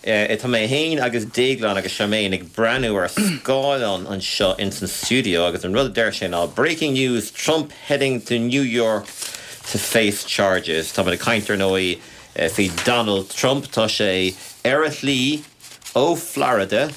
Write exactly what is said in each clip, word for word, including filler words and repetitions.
Tá mé féin agus Déaglán agus Charmaine ag breathnú ar scáileán anseo in san studio agus an rud a deir sé ná breaking news Trump heading to New York to face charges. Tá ag caint ar ndóigh faoi Donald Trump tá sé ar a shlí ó Florida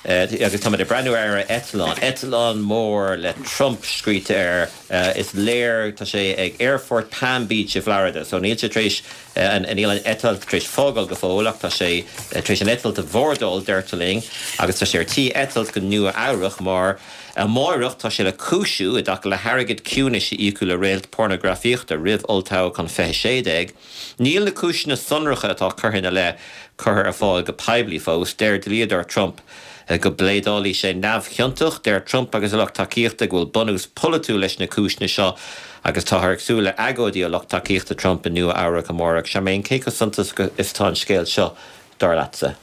agus tá ag breathnú ar eitleán. Eitleán mór le Trump scríte air is léir tá sé ag Aerfort Palm Beach i Florida, so níl sé tréis níl an eitilt tréis fágáil go fóill ach tá sé tréis an eitilt a bhordáil deirtear linn agus tá sé ar tí eitilt go Nua Eabhrac mar amárach tá sé le cúisiú i dtaca le hairgead ciúnais a íocadh le réalt pornagrafaíochta roimh olltoghchán fiche sé déag. Níl na cúiseanna sonracha atá curtha ina leith curtha ar fáil go poiblí fós, deir dlíodóir Trump go bpléadálfaidh sé neamhchiontach deir Trump agus a lucht tacaíochta go bhfuil bunús polaitiúil leis na cúiseanna seo agus táthar ag súil le agóidí ó lucht tacaíochta Trump i Nua Eabhrac amárach. Charmaine cé chomh suntasach is atá an scéal seo dar leatsa.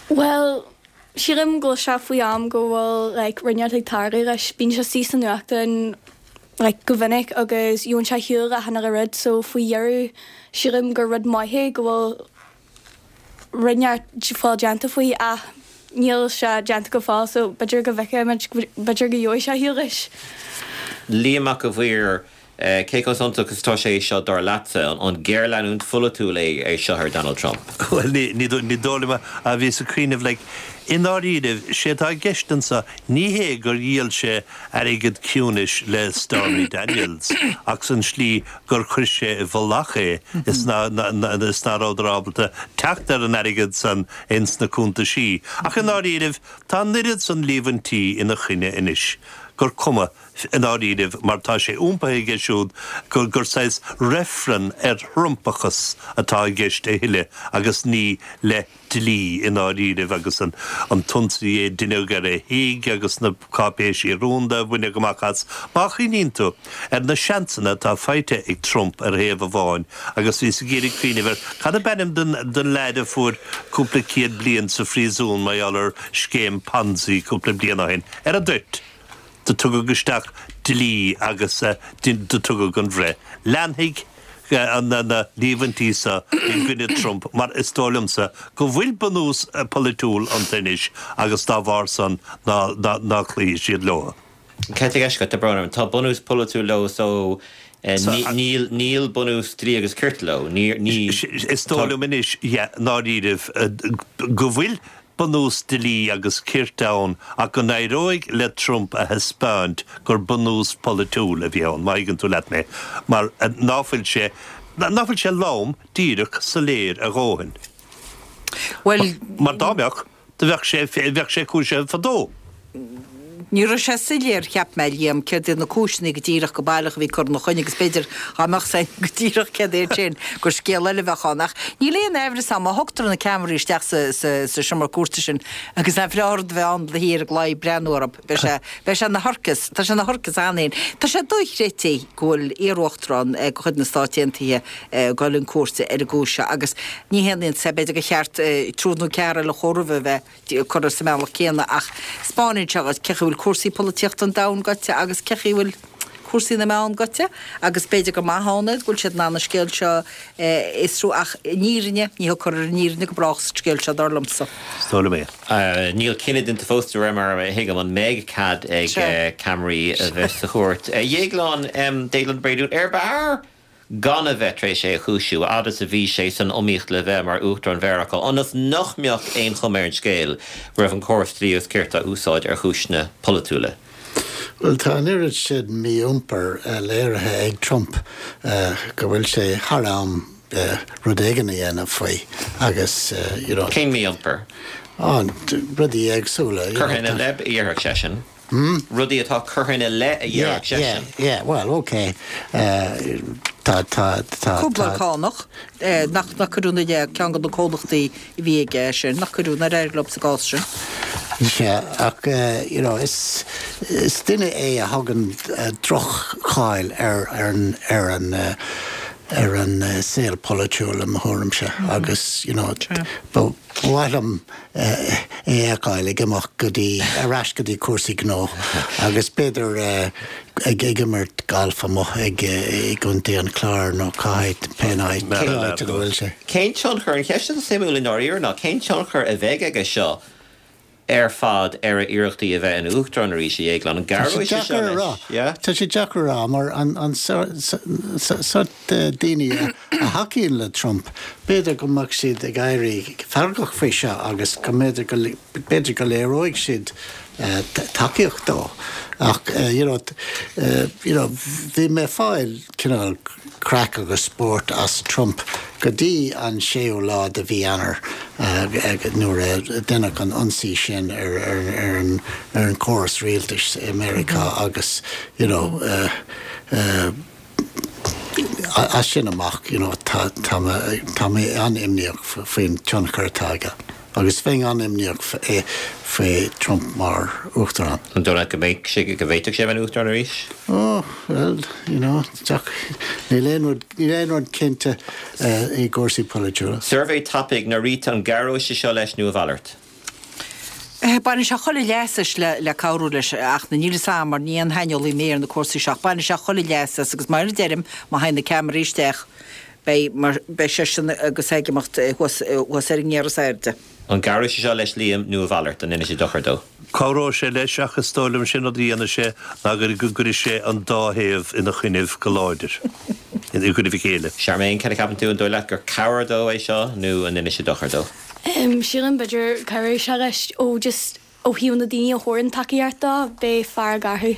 Well, sílim go bhfuil sé faoi am go bhfuil like, rud inteacht ag tarlú leis bíonn sé sí san nuachtáin like, go minic agus gheobhann sé ar shiúl achan uile rud so faoi dheireadh sílim gur rud maith é go bhfuil rud inteacht fáil déanta faoi ach níl sé déanta go fóill so b'fhéidir go bhfeicfimid b'fhéidir go gheobhaidh sé ar shiúl leis. Liam Mac a Bhuir cé chomh suntasach is atá sé seo dar leatsa an géarleanúint pholaitiúil é é seo ar Donald Trump. Well ní ní dóigh liom a bhí sa cuimhneamh le i ndáiríre sé tá i gceist anseo ní hé gur dhíol sé airgead ciúnais le Stormy Daniels ach san slí gur chuir sé i bhfolach é is ná is ná rabhadar ábalta teacht ar an airgead san ins na cuntaisí. Ach i ndáiríre tá an oiread san líomhaintí ina choinne anois gur cuma i ndáiríre mar tá sé iompaithe aige siúd gur gur saghas reifreann ar Thrumpachas atá i gceist a thuilleadh agus ní le dlí i ndáiríre agus an an t-ionsaí a deineadh ar a thigh agus na cáipéisí rúnda a baineadh amach as má chuimhníonn tú ar na seansanna atá faighte ag Trump ar thaobh amháin agus bhí sa géirí cuimhneamh cad ab ainm den den leaid a fuair cúpla céad bliain sa phríosún mar gheall ar scéim Ponzi cúpla bliain ó shin ar a dtoit. Do tugadh isteach dlí agus do tugadh an bhreith. Leanfaidh an na líomhaintí seo i gcoinne Trump mar is dóigh liomsa go bhfuil bunús polaitiúil iontu anois agus dá bharr san ná ná cloífidh siad leo. Cé go tá brón tá bunús polaitiúil leo so níl níl bunús dlí agus cirt leo ní Is dóigh liom anois i ndáiríre go bhfuil bunús dlí agus cirt ann ach go n-éireoidh le Trump a thaispeáint gur bunús polaitiúil a bhí ann, má thuigeann tú leat mé, mar ná fuil sé ná fuil sé lom díreach soiléir a dhóthain. Well mar dá mbeadh do bheadh sé bheadh sé cúisithe fadó. Ní raibh sé soiléir cheap mé Liam céard iad na cúiseanna go díreach go baileach a bhí curtha ina choinne agus b'fhéidir dá mbeadh sé go díreach céard é sin gur scéal eile bheadh ann ach níl aon amhras ann má thugtar na ceamaraí isteach sa sa sa seomra cúirte sin agus an bhreá rud a bheith ann le hir ag lai breathnú orthu beidh sé beidh sé ina shorcas tá sé ina shorcas ann féin. Tá sé dochreidte go bhfuil iar-uachtarán de chuid na Stát Aontaithe ag dul chun cúirte ar an gcúis seo agus ní haon iontas é b'fhéidir gur cheart triúr nó ceathrar eile chomh roimhe a bheith curtha sa mbealach céanna ach spáineann sé cé bhfuil cúrsaí polaitíochta an domhain gaibhte agus cé bhfuil cúrsaí na meán gaibhte agus b'fhéidir go maith ann go bhfuil siad in ann an scéal seo fhiosrú ach an fhírinne ní thugtar an fhírinne go brách sa scéal seo dar liomsa. Is dóigh liom é. Níl cinneadh déanta fós de réir mar a thuigim an mbeidh cead ag ceamaraí a bheith sa chúirt. Dhéaglán Déaglán Bréadún ar b'fhearr gan a bheith tar éis é a chúisiú fhad is a bhí sé san iomaíocht le bheith mar uachtarán Mheiriceá ionas nach mbeadh aon chuma ar an scéal go raibh an córas dlí agus cirt á úsáid ar chúiseanna polaitiúla. Well tá an oiread sin mí-iompar léirithe ag Trump go bhfuil sé thar am rud éigin a dhéanamh faoi agus you know. Cén mí-iompar? Rudaí éagsúla. Curtha ina leith a dhéarfadh seisean. Rudaí atá curtha ina leith a dhéarfadh seisean. Yeah, yeah, well, okay. Tá tá tá Cúpla cánach nach nach cuireadh ina leith ceann de na comhlachtaí a bhí aige sin nach cuireadh nár éirigh leo sa gcás sin. Sea, ach you know, is is duine é a thugann droch-cháil ar ar an ar an ar an saol polaitiúil i mo thuairimse agus you know, ba mhaith liom é é a fheiceáil ag imeacht go dtí ar ais go dtí cúrsaí gnó agus b'fhéidir ag ag imirt galf amuigh ag i gContae an Chláir nó cá háit pé áit cén áit a bhfuil sé. Cén tionchar an cheist is suimiúla i ndáiríre ná cén tionchar a bheidh aige seo ar fad ar a iarrachtaí a bheith ina uachtarán arís a Dhéagláin an gcabhróidh sé seo leis? Yeah? Tá sé deacair a rá mar an an sort daoine a thacaíonn le Trump, b'fhéidir go mbeadh siad ag éirí feargach faoi seo agus go mb'fhéidir go b'fhéidir go léireoidh siad tacaíocht dó. Ach you know, you know, bhí mé ag fáil cineál craic agus spórt as Trump go dtí an séú lá de mhí Eanáir nuair a deineadh an ionsaí sin ar ar ar an ar an córas rialtais i Meiriceá agus you know, uh, uh, as sin amach you know, tá tá tá mé an-imníoch faoin tionchar atá aige. Agus bheinn an-imníoch faoi Trump mar uachtarán. An dóigh leat go mbeidh sé go bhféadfadh sé bheith uachtarán arís? Oh, well, you know, níl aon rud níl aon rud cinnte i gcúrsaí polaitiúla. Suirbhé tapaidh Norita an gcabhróidh sé seo leis nó a mhalairt? Baineann sé chuile leas as le le cabhrú leis ach níl a fhios agam mar ní aon shaineolaí mé ar na cúrsaí seo ach baineann sé chuile leas as agus mar a deirim má théann na ceamaraí isteach beidh mar beidh seisean agus ag imeacht thuas thuas ar an ngear is airde. An gcabhróidh sé seo leis Liam nó a mhalairt an ndéanfaidh sé dochar dó? Cabhróidh sé leis ach is dóigh liom sin rud a dhéanfaidh sé ná go gcuirfidh sé an dá thaobh ina choinnibh go láidir, i gcoinnibh a chéile. Charmaine, cad a cheapann tú an dóigh leat gur cabhair dó é seo nó an ndéanfaidh sé dochar dó? Sílim b'fhéidir cabhróidh sé leis ó just ó thaobh na daoine a thabharann tacaíocht dó, beidh fearg orthu.